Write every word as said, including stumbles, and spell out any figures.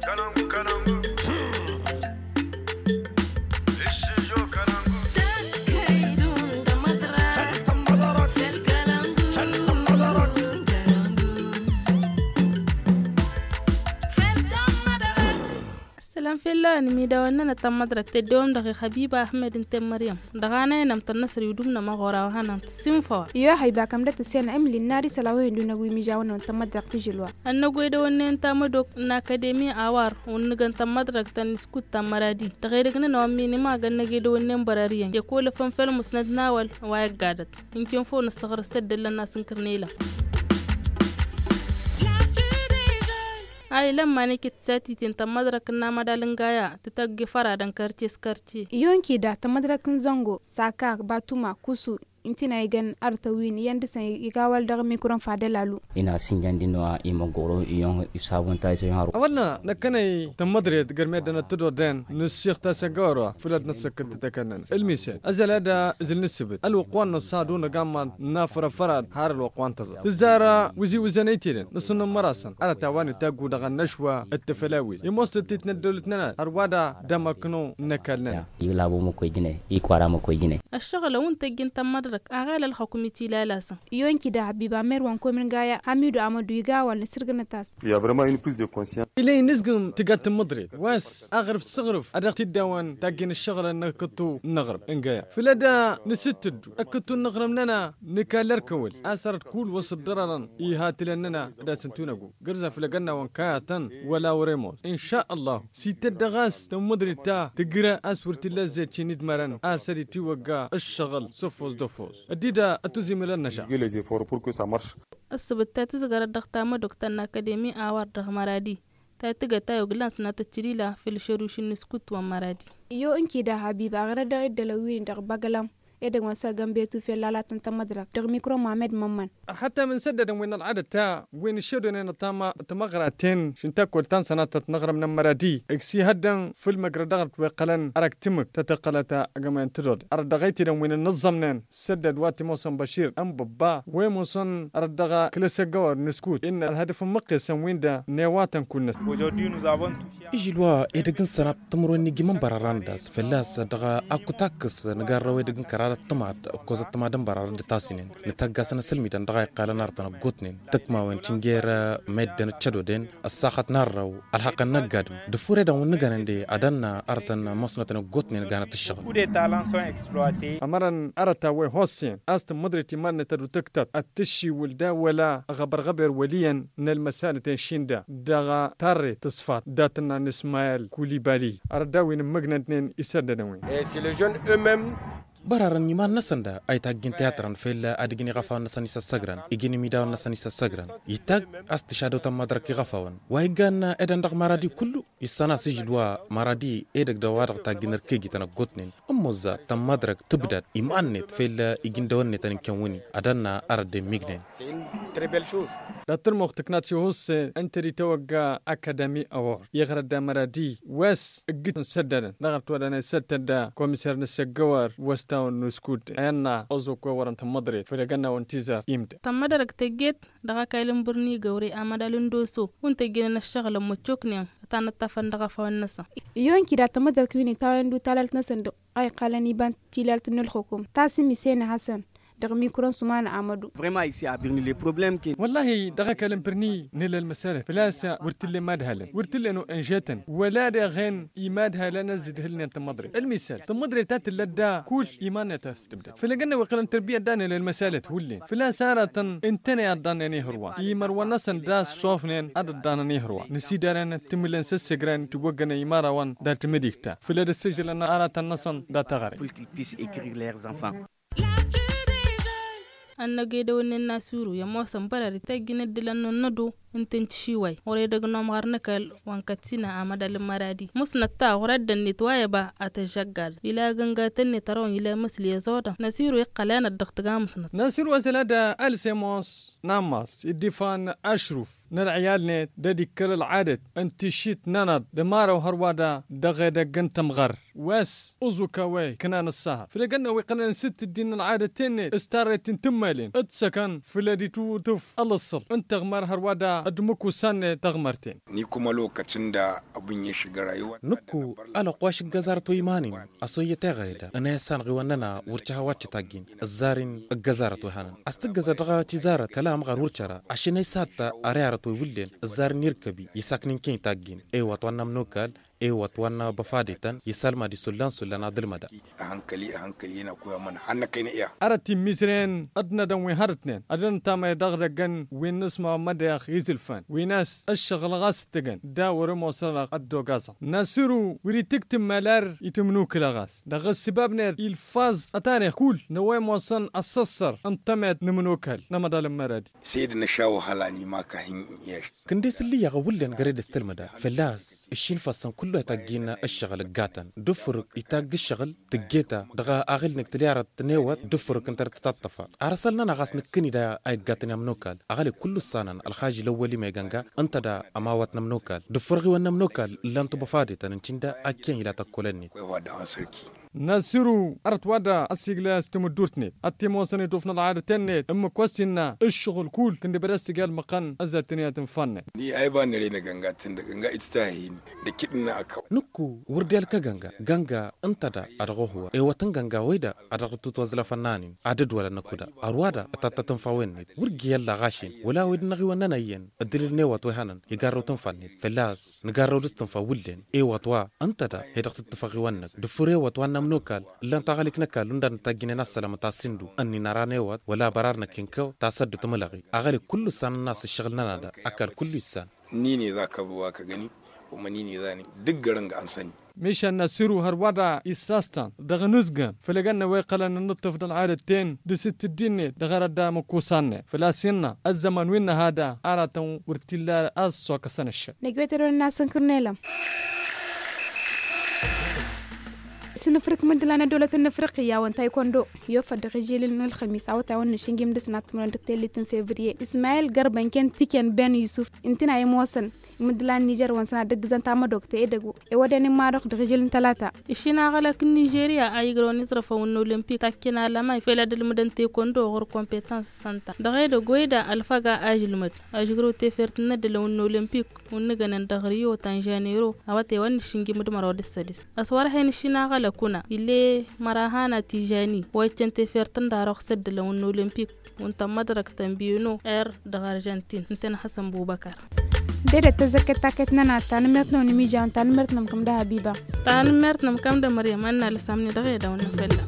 Ăssălam fell-awăn imidawăn-nănăɣ ta n-măḍrăk tăddewăm dăɣ-i xăbiba ahmed ǝnta i-măryăm dăɣ-anăyăn ămtănnăsăr i-udum n-ămăɣora wa hanăɣ-tǝssinfăwăn. Iyyu a hăyba kămdăt ǝsyan emli n-ad-isăl a-wa hin-dun-ăgg wi mižawăn-năwăn ta n-măḍrăk tǝžǝlwa. Ănnăgoy dăwănnen ta mădok n-akademi awar wǝnnǝgăn ta n-măḍrăk ta n-iskut ta n-măradi dăɣ-edăgg-nănăɣ wa n-minimag ănnăgoy dăwănnen bărariyăn i-ăkolăfăn făll-musnăt n-awăl wa i-ăggadăt. Ǝnken făw nǝssăɣrǝs tăddăllăn n-asǝnkăr n-elăm. A ilămman iket tisatiten ta n-măḍrăk n-amădal n-gaya tǝtăgg i-făradăn kărce s-kărce. Iyon kida ta n-măḍrăk n-zăngo saka batuma kusu. Ǝntina igan arătăn wi n-iyyăn dăɣ-săn iga wăl dăɣ-mikron fadăl alu. Ina sǝnjan dino a imăggoro iyon ifsabun ta isăyon haru. Awălna năkkănăy tămmăḍret gărmedăn ăttădodden nǝssix tasăggawăr wa făl ad-năssăkkăl tătăkănnăn ǝlmisen ăzăl ad-ǝzǝl n-ǝssǝbǝt ălwăqq wa n-năṣṣadu năgamman n-afrăfrad har ălwăqq wa n-tăẓăt tǝzzar. Wǝzi wǝzăn ăytedăn nǝṣṣǝnnǝmmăr-asăn arăt a-wa n-itaggu dăɣ-ănnăšwa d-tefălawit i-mostot-t n-ăddăwlăt-nănăt hărwa da d-amăknăw n-ăkall-nănăt. Iglabo măkkoy jine ikwara măkkoy jine. Ăššăɣǝl a wǝn tăjjǝn tămmăḍrăk aɣel ălxăkum itilal-asăn. Iyon kida hăbiba mer wa n-komin gaya hamidu amădu iga a-wa n-asǝrgǝnăt a-s. Ila inǝzgǝm tǝgga tǝmmǝḍret wa s-aɣrǝf s-aɣrǝf a dăɣ-t-dd-awăn tajjǝn ǝššăɣǝlăn n-akǝttu n-aɣrǝm n-gaya făl ad-nǝsǝttǝddu akǝttu n-aɣrǝm-nănăɣ. Nǝkall ărkăwăl a-s arăt kull wa s-ǝḍḍărărăn ihatǝlăn-nănăɣ d-asǝntu n-ăggu gǝrzan făll-egănna wa n-kayatăn wăla wăr-e ămoos inša ăllahu s-itădda ɣas tămmǝḍret ta tǝgră a-s wăr t-illa ăzzet šin idmărăn a-s ad-itiwăgga ǝššăɣǝl s-ăffos d-ăffos ăddida ătuzimǝl ănnăša. Ăssăbăt ta tǝzgărăt dăɣ-tamădok ta n-akademi a-wa-dăɣ măradi ta tǝgăt a i-oglăn sănatăt cǝlila făll-išărušin n-iskut wa n-măradi. Iyo ǝnkida habiba ɣărăt dăɣ-iddălăn wi-dăɣ băgălăm edăgg wa n-săgănbetu făll-alatăn tămmăḍrăk dăɣ-mikro muhammed mămmăn. Ăhătăm n-săddădăn wi n-ălɣadăt ta wi n-išădonen ăṭṭama tămăɣraten šin takkol ta n-sănatăt n-aɣrǝm n-ămmăradi ǝksihăddăn făll-măgrăd dăɣ-ălwăqq ălăn arăk tǝmmǝk tătăqqălăt agămăyăn tădod arăt dăɣ-ăytidăn wi n-ănnăẓẓămnen săddăd wa t-imoosăn băšir n-băbba wa imoosăn arăt dăɣ-kăl-asăggăwăr n-iskut innă ălhădǝf n-imǝqqesăn-win-dăɣ n-ewatăn kull-năsăn. Ižil wa edăgg n-sănat timǝrwen n-ijimăn bărarăn d-a-s fălla-s dăɣ-akkut akkăs nǝgarrăw edăgg n-kăraḍăt tămad ǝkkozăt tămad n-bărarăn d-tasnen nǝtăgg-asăn asǝlmidăn dăɣ-a iqqalăn arătăn ăggootnen tǝkmawen tǝnger meddǝn d-cădoden ăssaxăt n-arrăw ălhăqqăn n-ăgg-adǝm d-ăffuredăn wi n-nǝgănen de ad-ănn arătăn ămoosnătăn ăggootnen ganăt ǝššăɣǝl. Ămărăn arăt a-wa ihossen a-s tǝmmǝḍret iman-net ad-utǝktăt ad-tǝššiwǝl d-a-wăla ăɣăbărɣăber wăl' iyyăn n-ălmăsalăten šin da dăɣ-tarret tǝṣfat dat-tǝnna n-ismayel kulibali arăt da-wi n-ǝmmǝgnădnen isăddădăn-wi. Bărarăn iman-năsăn da a itajjǝn tiyatrăn fel ad-ǝjǝn iɣăfawăn-năsăn isăssăgrăn ijǝn imidawăn-năsăn isăssăgrăn itag a-s tǝšadăw tămmăḍrăk iɣăfawăn wa iggan edăn dăɣ-maradi kullu. Issăn a-s ižǝl wa maradi edăgg d-a-wa-dăɣ tajjǝn ărkejităn ăggootnen ămmoza tămmăḍrăk tǝbdad iman-net fel ijǝndăwăn-net ăninkăn wǝnni ad-ănna arăt d-emmignen. Dat-tărmuɣt tǝknat šuhusse ǝnta d-itawăgga akadami awăr iɣrăd d-amăradi wa s-ǝggǝt n-săddădăn dăɣ-ărtwădăn isăttăd d-komiser n-asăggăwăr wa s-tawăn n-uskud i-ănna ăẓukwe wărăn tămmăḍret făll-egănna wa n-tizar imdăn. Tămmăḍrăk tăjjet dăɣ-akal n-bărni găwre amădal n-doso wǝnta ǝjjǝnăn ăššăɣǝl ămmăccoknen ătanăṭṭafăn dăɣ-afawăn-năsăn. Iyon kida tămmăḍrăk wi n-itawăn d-utalalt-năsăn dăɣ-a iqqalăn iba n-tilalt n-ǝlxǝkum tasǝm isene hasăn dăɣ-mikro n-sumana amădu. Wăllahi dăɣ-akal n-bărni nǝla ălmăsalăt făl-a-s wăr t-ǝllen imadhalăn wăr t-ǝllen o-inžetăn wăla deɣen imadhalăn ăzzidhǝlnen tămmăḍret ălmisal tămmăḍret ta tǝllăt da kull iman-net a-s tǝbdăd făll-egănna wi iqqălăn tărbiyyăt da nǝla ălmăsalăt hullen făl-a-s aratăn ǝntăne ad-ḍannen ihǝrwan imărwăn-năsăn da ăssofnen ad-ăḍḍanăn ihǝrwan nǝsidaren timǝllen s-ăssegren tiwăggănen imarawăn dat-imǝdik ta făll-ad-ăssijǝlăn aratăn-năsăn dat-aɣăre. Ănnăgedăwănnen n-asiru i-ămoosăn bărări tăjjǝn ǝddǝlăn n-ănnădo ǝnta n-tišiway ɣur-edăgg n-omɣar n-ăkall wa n-kătsina amădal n-măradi mǝsnăt ta ɣur-ăddănnet wa i-ăba ad-tăžžăggal ila agǝngatăn-net ărăwăn ila imǝsli ăẓodăn n-asiru iqqăl enăt dăɣ-tǝga mǝsnăt. N-asiru ăzăl ad-ălsem oss n-ammas dd-ifan ašruf n-ălɣiyal-net d-ad-ikkăl ălɣadăt n-tišit n-enăḍ d-ămarăw hărwa da dăɣ-edăgg n-tămɣăr wa s-uẓuk a-wa iknan ăṣṣahăt făll-egănna wi iqqălăn s-dd-tǝddin ălɣadăt-en-net s-tarret n-tǝmmalen d-săkăn făll-ad-itwǝtǝf ălǝṣṣăl n-tăɣmar hărwa da. d-imǝkkusan-net taɣmărten. Nǝkku ălwăqq ăccǝnda ăbǝnyeši găra iwăt. Nǝkku ălwăqq wa š-ǝggăzarăt wa iman-in, a-s oyyăt eɣăre da ănayăssan ɣiwănnăna wăr căha wa t-taggin ǝzzar-in. Ǝggăzarăt wa ihănăn a-s tǝggăzăr dăɣ-tizarăt kăla ămɣar wăr căra ašăn ăysat. Ărearăt wa iwǝllen ǝzzar-in irkăbi isakn'-in kăy-taggin ewăt wa n-amnokal. Ewăt wa n-băfadetăn isălmăd-i sullan-sullan ad-ǝlmădăn. Ăhănkăli ăhănkăli ena kuy amăn hannăkăyna iha. Ărăt immizren d-nădăn wi hărătnen ad-ăntamăy dăɣ-idăggăn wi n-nǝsma mădeɣ izǝlfăn wi n-a-s ǝššăɣǝl ɣas ǝttǝgăn da wăr-ămoosăn ăddogazăn nasiru wăr-itǝktǝm malar itǝmnukǝlăɣ a-s dăɣ-ǝssǝbab-net ilfăẓ ătarix kull n-a-wa ămoosăn ăssăssăr n-tămet n-ǝmnukal n-amăḍal n-măradi. Săyed n-ašawăhăl a n-imak ahin-iyyăš. Kǝnde-s ǝllǝyyăɣ ăwwǝllen găre d-ǝstǝlmǝda fălla-s ǝššin făssăn kullu a itaggin ǝššăɣǝl ǝggatăn d-ǝffǝrǝk itagg ǝššăɣǝl tǝggeta dăɣ-aɣǝl-nǝk tǝliyarăt n-ewăt d-ǝffǝrǝk ǝnta d-tǝtaṭṭăfăr. Arăsăl-nănăɣ a-s nǝkkǝni da a iggătăn i-amnokal ăɣăle kullu ǝssanăn ălxažil ăwwăl-i megănga ǝnta da ămawăt n-amnokal d-ǝffǝrɣiwăn n-amnokal ǝllan-t băfadetăn n-tinda. Akkăyăn ila tăkkolăn-net. Nasiru ărăt wa da ăsiglăy a-s timǝddurt-net ad-t-imoosăn iduf n-ălɣadăt-en-net ǝmmǝk wa s-innă ǝššăɣǝl kull kǝndǝbăd a-s tǝjal măqqăn ăzzatăn i-ad-tǝnfannăy. Ni a iba n-ere n-agănga tǝndăgănga itǝtahăyhin d-akǝdna ăkkaw. Nǝkku wăr dd-ilăk agănga gănga ǝnta da a dăɣ-ohwa ewăt n-gănga wăy da a dăɣ-dd-tǝtwăẓlăfăn n-anin ad-dd-wălăn năkkuda. Ărwa da ătattat n-fawăn-net wăr dd-i-ălla ɣašen wăla a-wa dd-năɣ iwănnăn ăyyăn ǝddǝlǝl n-ewăt wa ihănăn igarrăw tǝnfa-net fălla-s nǝgarrăw dăɣ-s tǝnfa wǝllen ewăt wa ǝnta da he-dăɣ tǝttǝfăɣ iwănnăk d-ǝffǝr ewăt wa n-amnokal ǝllan taɣălik n-ăkall undan n-tajjǝnen a-s sălămăt a-s indu ǝnnin ăran ewăt wăla bărar năkk inkăw tasăddut mǝlăɣi. Aɣălik kullu ǝssanăn a-s ǝššăɣǝl-nănăɣ da ăkall kullu issan. Nini da kăbwa kăgăni wămănini da ni dăgg-ărǝng ansăni. Mišan n-asǝru hărwa da issastan dăɣ-inǝzgăn făll-egănna wa iqqălăn n-inǝṭṭǝf d-ălɣadăt-ten d-asǝttǝddi-net dăɣ-arăt da măkkusan-net făl-a-s innă ăzzăman wi n-nǝha da aratăn wăr t-illa a-s s-okăsăn ǝššăk. Năgg-wet-dd-wănăn a-s ǝnkǝrnelăm. S-inǝfrǝk mǝddǝla n-ăddăwlăt n-afriqya wa n-taykondo i-ofăl dăɣ-ižilǝl n-ălxămis awătay wa n-nǝšǝnjim dăɣ-s n-ad-tǝmrăn dăɣ-tellit n-fevriye ismayil gărba n-ken tikǝn ben yusuf ǝntǝn a imoosăn imǝddǝla n-nižer wa n-săn ad-ǝggǝzăn tamădokt edăgg ewăden immadăɣ dăɣ-ižil n-talata. Išin aɣălăk n-nižeriya a igrăwăn iẓrăfăn wa n-olimpik takken alămay fel ad-ǝlmǝdăn tekondo ɣur-kompetans sănta dăɣ-edăgg wăy da ălfăga a ǝžǝlmăd ažǝgrăw tefert n-ăddălăn wa n-olimpik wa n-nǝgănen dăɣ-rio tanžanero awătay wa n-nǝššǝnjǝm d-măraw d-ǝssădis. Ăswărhen išin aɣălăk kuna ill'-e mărahan atižani wa iccăn tefert n-darăɣ s-ăddălăn wa n-olimpik wa n-tămmădrăkt n-bino er dăɣ-arjantin ǝntăn hasăn bubăkar. Dedet tăzzăkket taket-nănăɣ tanǝmmert-năwăn imižawen tanǝmmert-năwăn kăm dăɣ-habiba. Tanǝmmert-năwăn kăm dăɣ-măryăm ad-nalăsăm-ni dăɣ-edăw n-afălla.